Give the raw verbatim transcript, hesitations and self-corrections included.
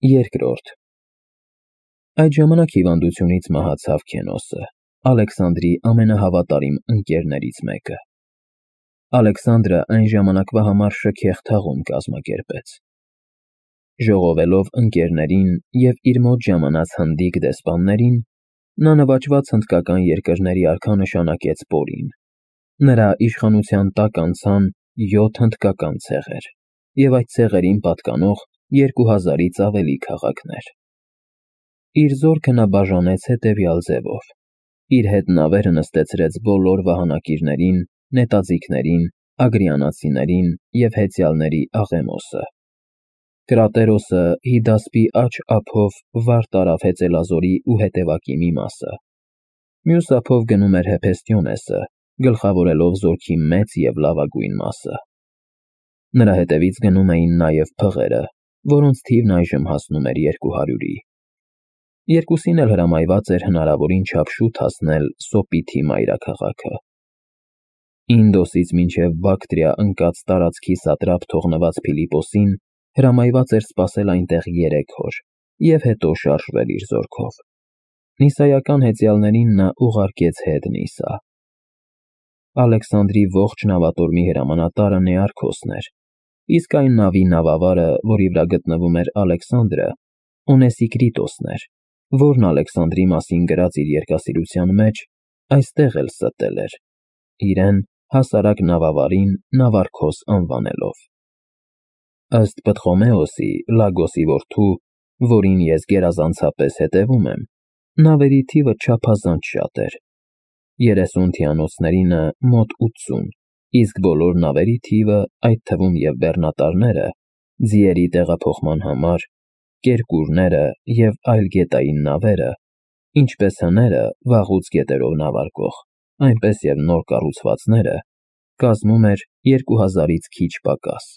Երկրորդ Այդ ժամանակ հիվանդությունից մահացավ Քենոսը, Ալեքսանդրի ամենահավատարիմ ընկերներից մեկը։ Ալեքսանդրը այն ժամանակվա համար շքեղ թաղում կազմակերպեց։ Ժողովելով ընկերներին և իր մոտ ժամանած հնդիկ դեսպաններին, նա նվաճված հնդկական երկրների արքա նշանակեց Պորին։ Նրա իշխանության տակ անցան յոթ հնդկական ցեղեր և այդ ցեղերին պատկանող երկու հազարից ավելի քաղաքներ։ Իր զորքը նա բաժանեց հետևյալ ձևով. իր հետ նավերը նստեցրեց բոլոր վահանակիրներին, նետաձիգներին, ագրիանացիներին և հեծյալների աղեմոսը։ Կրատերոսը Հիդասպի աջ ափով վար տարավ հեծելազորի ու հետևակի մի մասը։ Մյուս ափով գնում էր Հեփեստիոնեսը, գլխավորելով զորքի մեծ և լավագույն մասը։ Նրա հետևից գնում էին նաև փղերը, որոնց թիվն այժմ հասնում էր երկու հարյուրի։ Երկուսին էլ հրամայված էր հնարավորին չափ շուտ հասնել Սոպիթի մայրաքաղաքը։ Ինդոսից մինչև Բակտրիա ընկած տարածքի սատրապ թողնված Փիլիպոսին հրամայված էր սպասել այնտեղ երեք օր և հետո շարժվել իր զորքով։ Նիսայական հեծյալներին նա ուղարկեց հետ Նիսա։ Ալեքսանդրի ողջ նավատորմի հրամանատարը Նեարքոսն էր, իսկ այն նավի նավավարը, որի վրա գտնվում էր Ալեքսանդրը, Օնեսիկրիտոսն էր, որն Ալեքսանդրի մասին գրած իր երկասիրության մեջ այստեղ էլ ստել էր, իրեն հասարակ նավավարին Նավարքոս անվանելով։ Ըստ Պտղոմեոսի, Լագոսի որդու, որին ես գերազանցապես հետևում եմ, նավերի թիվը չափազանց շատ էր։ Երեսուն թիանոցներինը մոտ ութսուն, իսկ բոլոր նավերի թիվը, այդ թվում և բեռնատարները, ձիերի տեղափոխման համար, կերկուրները և այլ գետային նավերը, ինչպես հները վաղուց գետերով նավարկող, այնպես և նոր կառուցվածքները, կազմում էր երկու հազարից քիչ պակաս։